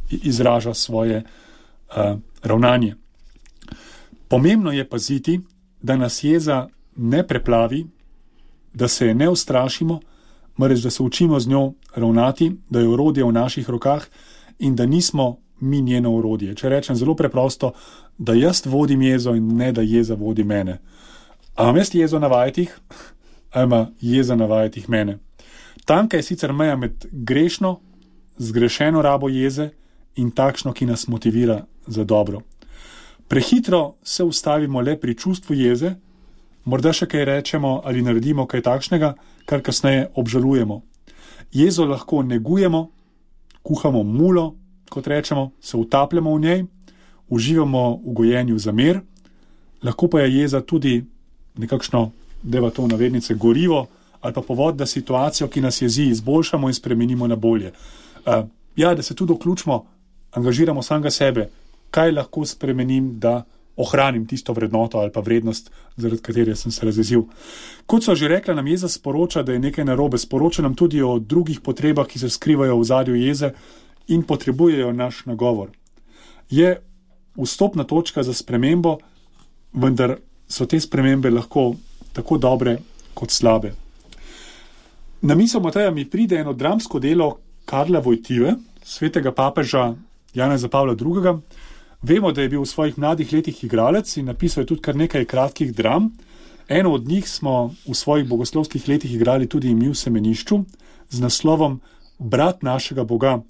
izraža svoje ravnanje. Pomembno je paziti, da nas jeza ne preplavi, da se je ne ustrašimo, marveč da se učimo z njo ravnati, da je orodje v naših rokah in da nismo mi njeno orodje. Če rečem zelo preprosto, da jaz vodim jezo in ne da jeza vodi mene. A imam jaz jezo na vajetih, ali ima jeza na vajetih mene? Tanka je sicer meja med grešno, zgrešeno rabo jeze in takšno, ki nas motivira za dobro. Prehitro se ustavimo le pri čustvu jeze, morda še kaj rečemo ali naredimo kaj takšnega, kar kasneje obžalujemo. Jezo lahko negujemo, kuhamo mulo, kot rečemo, se utapljamo v njej, uživamo v gojenju zamer, lahko pa je jeza tudi nekakšno, deva to navednice, gorivo ali pa povod, da situacijo, ki nas jezi, izboljšamo in spremenimo na bolje. Da se tudi vključimo, angažiramo samega sebe, kaj lahko spremenim, da ohranim tisto vrednoto ali pa vrednost, zaradi katere sem se razjezil. Kot so že rekla, nam jeza sporoča, da je nekaj narobe, sporoča nam tudi o drugih potrebah, ki se skrivajo v ozadju jeze in potrebujejo naš nagovor. Je vstopna točka za spremembo, vendar so te spremembe lahko tako dobre kot slabe. Na misel Mateja mi pride eno dramsko delo Karla Wojtyły, svetega papeža Janeza Pavla II. Vemo, da je bil v svojih mladih letih igralec in napisal je tudi kar nekaj kratkih dram. Eno od njih smo v svojih bogoslovskih letih igrali tudi mi v semenišču z naslovom Brat našega Boga.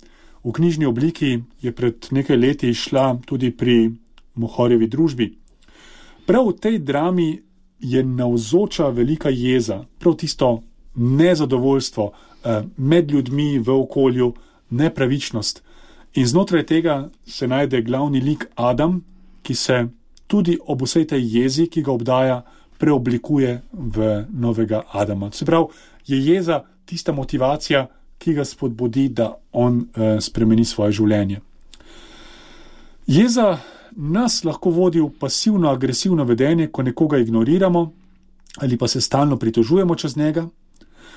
V knjižni obliki je pred nekaj leti išla tudi pri Mohorjevi družbi. Prav v tej drami je navzoča velika jeza, prav tisto nezadovoljstvo med ljudmi v okolju, nepravičnost. In znotraj tega se najde glavni lik Adam, ki se tudi ob vsej tej jezi, ki ga obdaja, preoblikuje v novega Adama. Se pravi, je jeza tista motivacija, ki ga spodbudi, da on spremeni svoje življenje. Jeza nas lahko vodi v pasivno-agresivno vedenje, ko nekoga ignoriramo ali pa se stalno pritožujemo čez njega.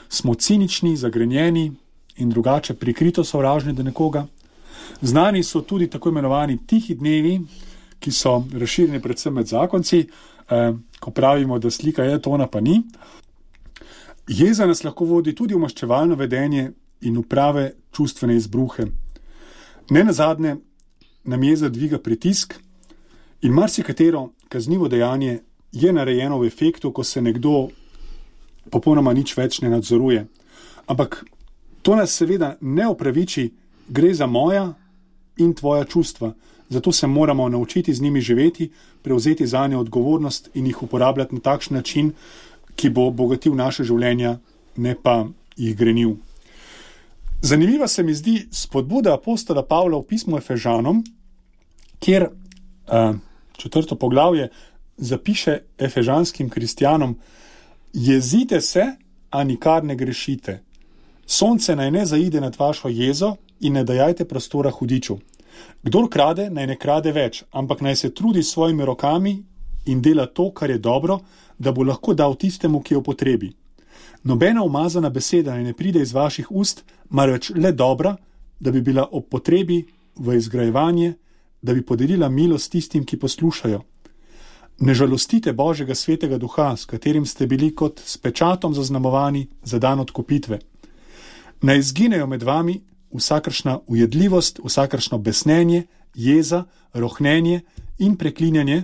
Smo cinični, zagrenjeni in drugače prikrito sovražni do nekoga. Znani so tudi tako imenovani tihi dnevi, ki so razširjeni predvsem med zakonci, ko pravimo, da slika je, to ona pa ni. Jeza nas lahko vodi tudi v maščevalno vedenje in v prave čustvene izbruhe. Nenazadnje nam jeza dviga pritisk in marsikatero kaznivo dejanje je narejeno v efektu, ko se nekdo popolnoma nič več ne nadzoruje. Ampak to nas seveda ne opraviči, gre za moja in tvoja čustva. Zato se moramo naučiti z njimi živeti, prevzeti zanje odgovornost in jih uporabljati na takšen način, ki bo bogatil naše življenja, ne pa jih grenil. Zanimiva se mi zdi spodbuda apostola Pavla v pismu Efežanom, kjer 4. poglavje zapiše efežanskim kristjanom: jezite se, a nikar ne grešite. Sonce naj ne zaide nad vašo jezo in ne dajajte prostora hudiču. Kdor krade, naj ne krade več, ampak naj se trudi s svojimi rokami in dela to, kar je dobro, da bo lahko dal tistemu, ki je v potrebi. Nobena umazana beseda naj ne pride iz vaših ust, marveč le dobra, da bi bila ob potrebi v izgrajevanje, da bi podelila milost tistim, ki poslušajo. Ne žalostite Božjega svetega duha, s katerim ste bili kot s pečatom zaznamovani za dan odkupitve. Naj izginejo med vami vsakršna ujedljivost, vsakršno besnenje, jeza, rohnenje in preklinjanje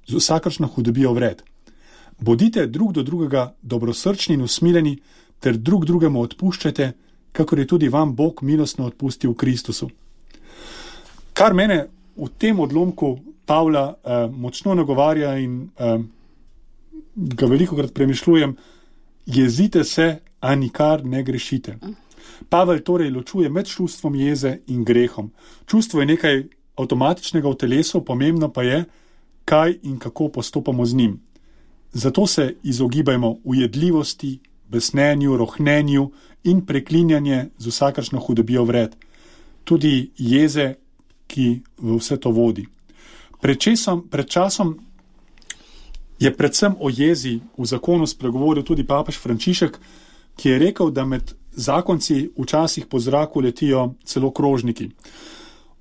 z vsakršno hudobijo vred. Bodite drug do drugega dobrosrčni in usmiljeni ter drug drugemu odpuščajte, kakor je tudi vam Bog milostno odpustil v Kristusu. Kar mene v tem odlomku Pavla močno nagovarja in ga velikokrat premišljujem: jezite se, a nikar ne grešite. Pavel torej ločuje med čustvom jeze in grehom. Čustvo je nekaj avtomatičnega v telesu, pomembno pa je, kaj in kako postopamo z njim. Zato se izogibajmo ujedljivosti, besnenju, rohnenju in preklinjanje z vsakršno hudobijo vred. Tudi jeze, ki v vse to vodi. Pred časom je predvsem o jezi v zakonu spregovoril tudi papež Frančišek, ki je rekel, da med zakonci včasih po zraku letijo celo krožniki.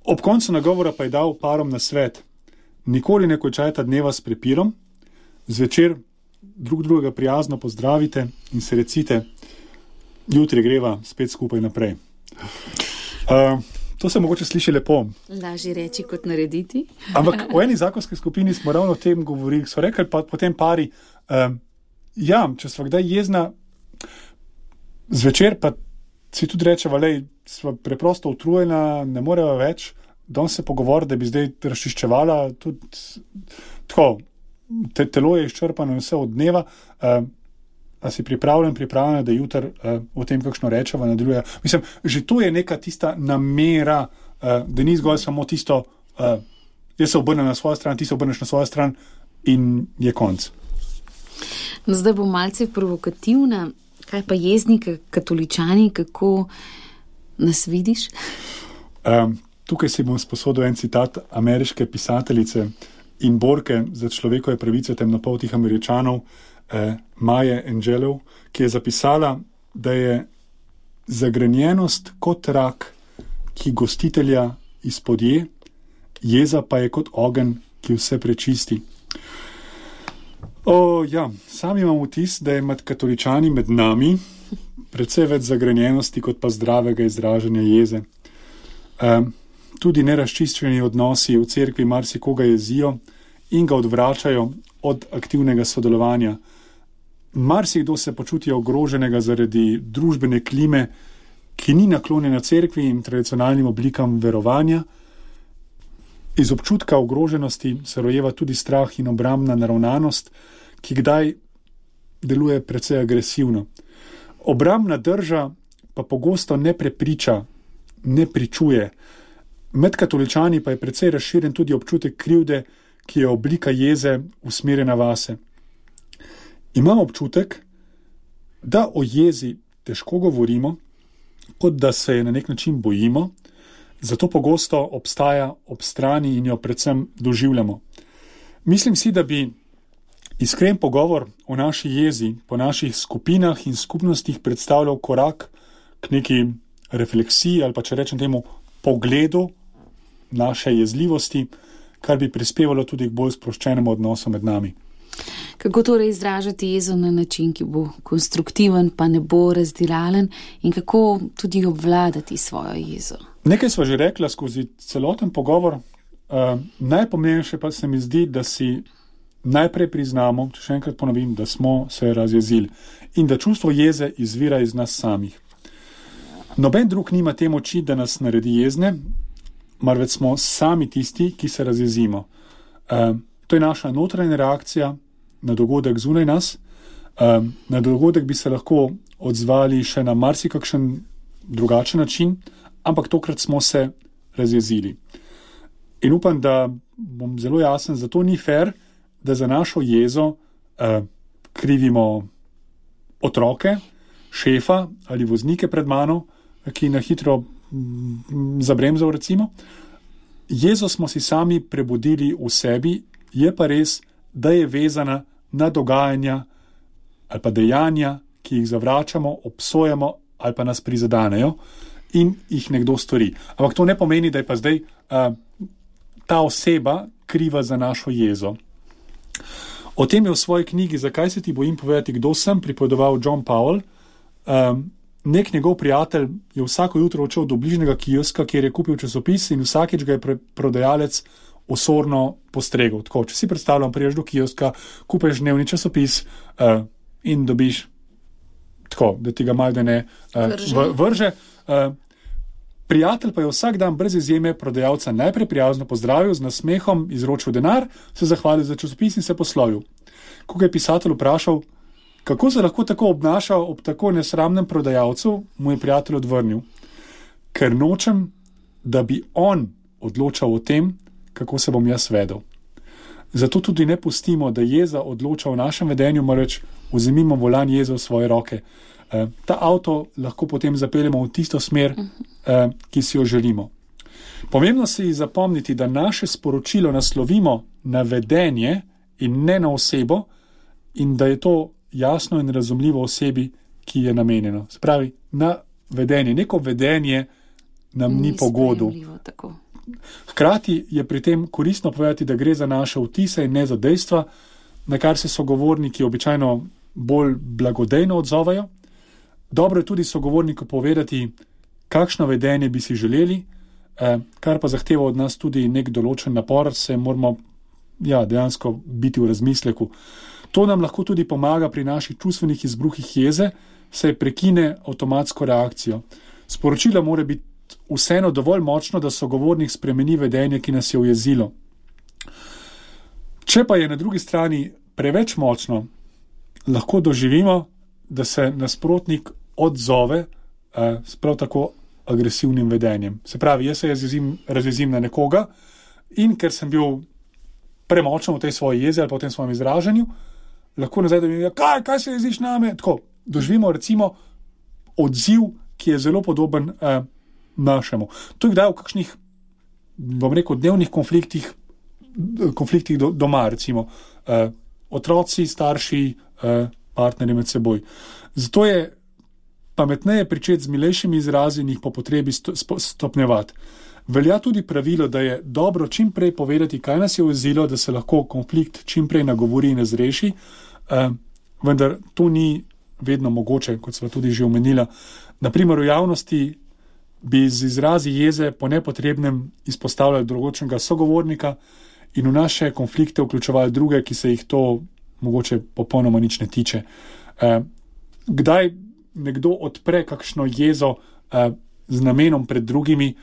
Ob koncu nagovora pa je dal parom na svet: nikoli ne končajta dneva s prepirom, zvečer drug drugega prijazno pozdravite in se recite: jutri greva spet skupaj naprej. To se mogoče sliši lepo. Lažje reči kot narediti. Ampak v eni zakonski skupini smo ravno o tem govorili, so rekli pa potem pari, ja, če sva kdaj jezna, zvečer pa si tudi rečeva, lej, sva preprosto utrujena, ne moreva več, danes se pogovoriti, da bi zdaj razčiščevala, tudi tako, telo je izčrpano vse od dneva, a si pripravljena, da jutri o tem kakšno rečeva nadaljuje. Mislim, že to je neka tista namera, da ni zgolj samo tisto, jaz se obrnem na svojo stran, ti se obrneš na svojo stran in je konc. No, zdaj bom malce provokativna. Kaj pa jezniki, katoličani, kako nas vidiš? Tukaj si bom sposodil en citat ameriške pisateljice in borke za človekove pravice temnopoltih Američanov, Maje Angelou, ki je zapisala, da je zagrenjenost kot rak, ki gostitelja izpodje, jeza pa je kot ogenj, ki vse prečisti. Ja, sam imam vtis, da je med katoličani med nami precej več zagrenjenosti kot pa zdravega izražanja jeze. Tudi nerazčiščeni odnosi v cerkvi marsikoga jezijo in ga odvračajo od aktivnega sodelovanja. Marsikdo se počuti ogroženega zaradi družbene klime, ki ni naklonjena cerkvi in tradicionalnim oblikam verovanja. Iz občutka ogroženosti se rojeva tudi strah in obrambna naravnanost, ki kdaj deluje precej agresivno. Obrambna drža pa pogosto ne prepriča, ne pričuje. Med katoličani pa je precej razširjen tudi občutek krivde, ki je oblika jeze usmerjena vase. Imam občutek, da o jezi težko govorimo, kot da se je na nek način bojimo, zato pogosto obstaja ob strani in jo predvsem doživljamo. Mislim si, da bi iskren pogovor o naši jezi po naših skupinah in skupnostih predstavljal korak k neki refleksiji ali pa, če rečem temu, pogledu naše jezljivosti, kar bi prispevalo tudi k bolj sproščenemu odnosu med nami. Kako torej izražati jezo na način, ki bo konstruktiven, pa ne bo razdiralen, in kako tudi obvladati svojo jezo? Nekaj sva že rekla skozi celoten pogovor. Najpomembnejše pa se mi zdi, da si najprej priznamo, če še enkrat ponovim, da smo se razjezili in da čustvo jeze izvira iz nas samih. Noben drug nima te moči, da nas naredi jezne, marveč smo sami tisti, ki se razjezimo. To je naša notranja reakcija na dogodek zunaj nas. Na dogodek bi se lahko odzvali še na marsikakšen drugačen način, ampak tokrat smo se razjezili. In upam, da bom zelo jasen, zato ni fair, da za našo jezo krivimo otroke, šefa ali voznike pred mano, ki na hitro zabremzal recimo. Jezo smo si sami prebudili v sebi, je pa res, da je vezana na dogajanja ali pa dejanja, ki jih zavračamo, obsojamo ali pa nas prizadanejo in jih nekdo stori. Ampak to ne pomeni, da je pa zdaj ta oseba kriva za našo jezo. O tem je v svoji knjigi Zakaj se ti bojim povedati, kdo sem, pripovedoval John Powell. Nek njegov prijatelj je vsako jutro odšel do bližnjega kioska, kjer je kupil časopis in vsakič ga je prodajalec osorno postregel. Tako, če si predstavljam, priješ do kioska, kupeš dnevni časopis in dobiš tako, da ti ga malo da ne vrže. Prijatelj pa je vsak dan brez izjeme prodajalca najprej prijazno pozdravil, z nasmehom izročil denar, se zahvalil za časopis in se poslovil. Ko ga je pisatelj vprašal, kako se lahko tako obnaša ob tako nesramnem prodajalcu, mu je prijatelj odvrnil: ker nočem, da bi on odločal o tem, kako se bom jaz vedel. Zato tudi ne pustimo, da jeza odloča o našem vedenju, marveč vzemimo volan jeze v svoje roke. Ta avto lahko potem zapeljemo v tisto smer, ki si jo želimo. Pomembno se je zapomniti, da naše sporočilo naslovimo na vedenje in ne na osebo in da je to jasno in razumljivo osebi, ki je namenjeno. Se pravi, na vedenje. Neko vedenje nam ni pogodu. Hkrati je pri tem koristno povedati, da gre za naše vtise in ne za dejstva, na kar se sogovorniki običajno bolj blagodejno odzovajo. Dobro je tudi sogovorniku povedati, kakšno vedenje bi si želeli, kar pa zahteva od nas tudi nek določen napor, se moramo dejansko biti v razmisleku. To nam lahko tudi pomaga pri naših čustvenih izbruhih jeze, saj prekine avtomatsko reakcijo. Sporočilo mora biti vseeno dovolj močno, da sogovornik spremeni vedenje, ki nas je ujezilo. Če pa je na drugi strani preveč močno, lahko doživimo, da se nasprotnik odzove s prav tako agresivnim vedenjem. Se pravi, jaz se razjezim na nekoga in ker sem bil premočen v tej svoji jezi ali pa v tem svojem izražanju, lahko nazaj, da mi je, kaj se jeziš name? Tako, doživimo recimo odziv, ki je zelo podoben našemu. To je kdaj v kakšnih, bom rekel, dnevnih konfliktih doma, recimo otroci, starši, partnerji med seboj. Zato je pametneje pričeti z milejšimi izrazi in jih po potrebi stopnjevati. Velja tudi pravilo, da je dobro čim prej povedati, kaj nas je ujezilo, da se lahko konflikt čim prej nagovori in razreši, vendar to ni vedno mogoče, kot sva tudi že omenila. Naprimer, v javnosti bi z izrazi jeze po nepotrebnem izpostavljali drugačnega sogovornika in v naše konflikte vključevali druge, ki se jih to mogoče popolnoma nič ne tiče. Kdaj nekdo odpre kakšno jezo z namenom pred drugimi,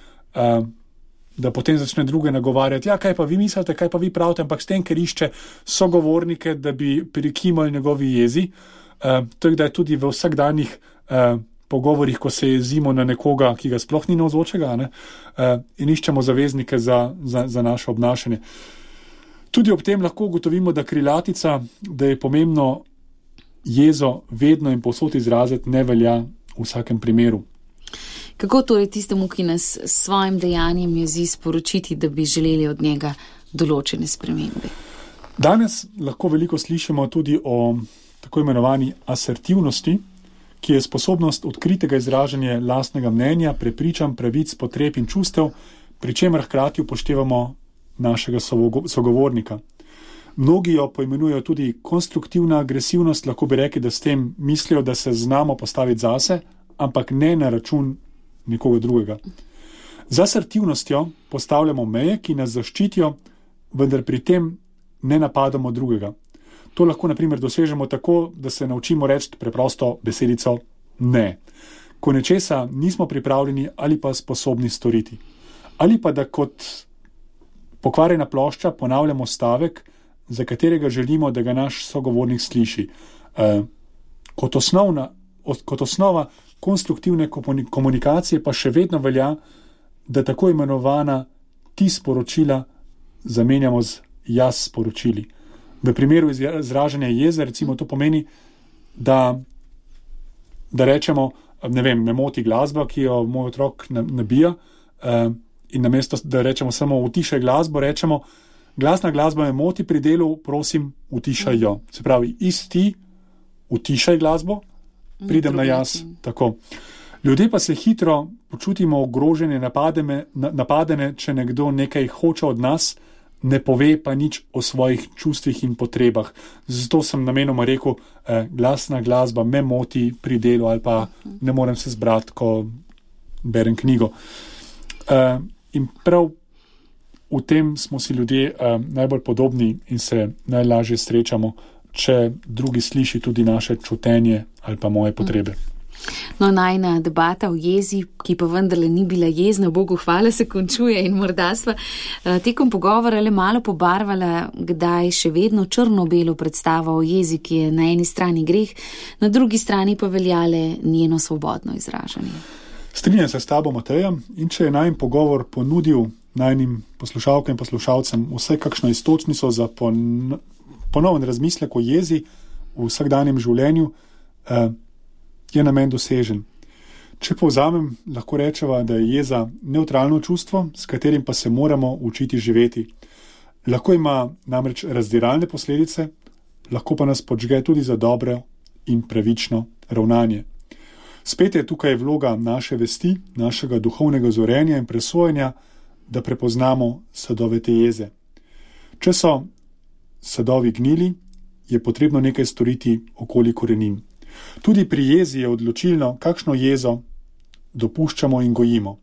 da potem začne druge nagovarjati, kaj pa vi mislite, kaj pa vi pravite, ampak s tem, ker išče sogovornike, da bi prikimali njegovi jezi. To je kdaj tudi v vsakdanjih pogovorih, ko se jezimo na nekoga, ki ga sploh ni navzočega, in iščemo zaveznike za naše obnašanje. Tudi ob tem lahko ugotovimo, da krilatica, da je pomembno jezo vedno in povsod izraziti, ne velja v vsakem primeru. Kako torej tistemu, ki nas s svojim dejanjem jezi, sporočiti, da bi želeli od njega določene spremembe? Danes lahko veliko slišimo tudi o tako imenovani asertivnosti, ki je sposobnost odkritega izražanja lastnega mnenja, prepričanj, pravic, potreb in čustev, pri čemer hkrati upoštevamo našega sogovornika. Mnogi jo poimenujejo tudi konstruktivna agresivnost, lahko bi rekli, da s tem mislijo, da se znamo postaviti zase, ampak ne na račun nekoga drugega. Z asertivnostjo postavljamo meje, ki nas zaščitijo, vendar pri tem ne napadamo drugega. To lahko na primer dosežemo tako, da se naučimo reči preprosto besedico ne, ko nečesa nismo pripravljeni ali pa sposobni storiti. Ali pa da kot pokvarjena plošča ponavljamo stavek, za katerega želimo, da ga naš sogovornik sliši. Kot osnova konstruktivne komunikacije pa še vedno velja, da tako imenovana ti sporočila zamenjamo z jaz sporočili. V primeru izražanja jeze, recimo, to pomeni, da rečemo, ne vem, me moti glasba, ki jo moj otrok nabija, in namesto, da rečemo samo utišaj glasbo, rečemo, glasna glasba me moti pri delu, prosim, utišaj jo. Se pravi, isti, utišaj glasbo, pridem na jaz. Tako. Ljudje pa se hitro počutimo ogrožene, napadene, če nekdo nekaj hoče od nas, ne pove pa nič o svojih čustvih in potrebah. Zato sem namenoma rekel, glasna glasba me moti pri delu ali pa ne morem se zbrati, ko berem knjigo. In prav v tem smo si ljudje najbolj podobni in se najlažje srečamo, če drugi sliši tudi naše čutenje ali pa moje potrebe. No, najna debata o jezi, ki pa vendarle ni bila jezna, Bogu hvala, se končuje in morda sva tekom pogovora le malo pobarvala, kdaj še vedno črno-belo predstava o jezi, ki je na eni strani greh, na drugi strani pa veljale njeno svobodno izražanje. Strinjam se s tabo, Mateja, in če je najin pogovor ponudil najnim poslušalkam in poslušalcem vsaj kakšno istočnico za ponoven razmislek o jezi v vsakdanjem življenju, je namen dosežen. Če povzamem, lahko rečeva, da je jeza nevtralno čustvo, s katerim pa se moramo učiti živeti. Lahko ima namreč razdiralne posledice, lahko pa nas podžge tudi za dobro in pravično ravnanje. Spet je tukaj vloga naše vesti, našega duhovnega zorenja in presojanja, da prepoznamo sadove te jeze. Če so sadovi gnili, je potrebno nekaj storiti okoli korenin. Tudi pri jezi je odločilno, kakšno jezo dopuščamo in gojimo.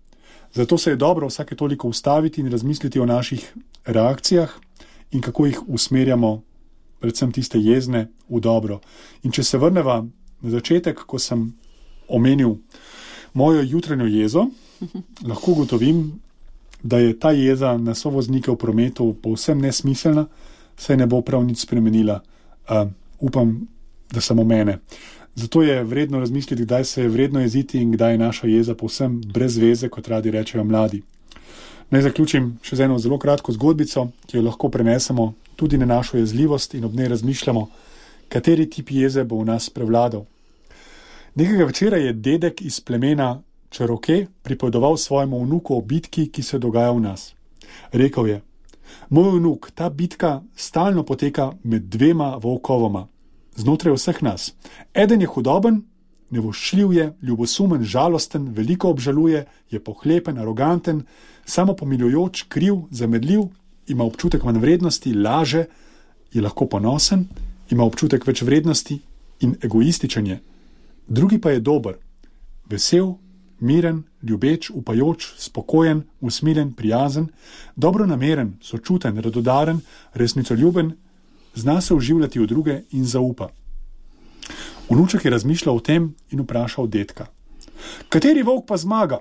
Zato se je dobro vsake toliko ustaviti in razmisliti o naših reakcijah in kako jih usmerjamo, predvsem tiste jezne, v dobro. In če se vrneva na začetek, ko sem omenil mojo jutranjo jezo, lahko ugotovim, da je ta jeza na sovoznike v prometu povsem nesmiselna, saj ne bo prav nič spremenila. Upam, da samo mene. Zato je vredno razmisliti, kdaj se je vredno jeziti in kdaj je naša jeza povsem brez veze, kot radi rečejo mladi. Naj zaključim še z eno zelo kratko zgodbico, ki jo lahko prenesemo tudi na našo jezljivost in ob njej razmišljamo, kateri tip jeze bo v nas prevladal. Nekega večera je dedek iz plemena Čeroke pripovedoval svojemu vnuku o bitki, ki se dogaja v nas. Rekel je: moj vnuk, ta bitka stalno poteka med dvema volkovoma, znotraj vseh nas. Eden je hudoben, nevoščljiv je, ljubosumen, žalosten, veliko obžaluje, je pohlepen, aroganten, samopomiljujoč, kriv, zamedljiv, ima občutek manjvrednosti, laže, je lahko ponosen, ima občutek več vrednosti in egoističen je. Drugi pa je dober, vesel, miren, ljubeč, upajoč, spokojen, usmiljen, prijazen, dobronameren, sočuten, radodaren, resnicoljuben, zna se vživljati v druge in zaupa. Vnuček je razmišljal o tem in vprašal dedka: kateri volk pa zmaga?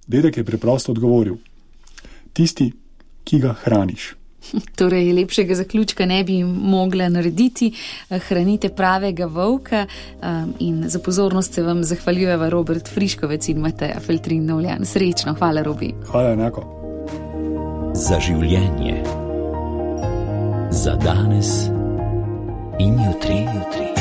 Dedek je preprosto odgovoril: tisti, ki ga hraniš. Torej, lepšega zaključka ne bi mogla narediti. Hranite pravega volka in za pozornost se vam zahvaljujeva Robert Friškovec in Mateja Feltrin-Novljan. Srečno, hvala Robi. Hvala enako. Za življenje. Za danes in jutri.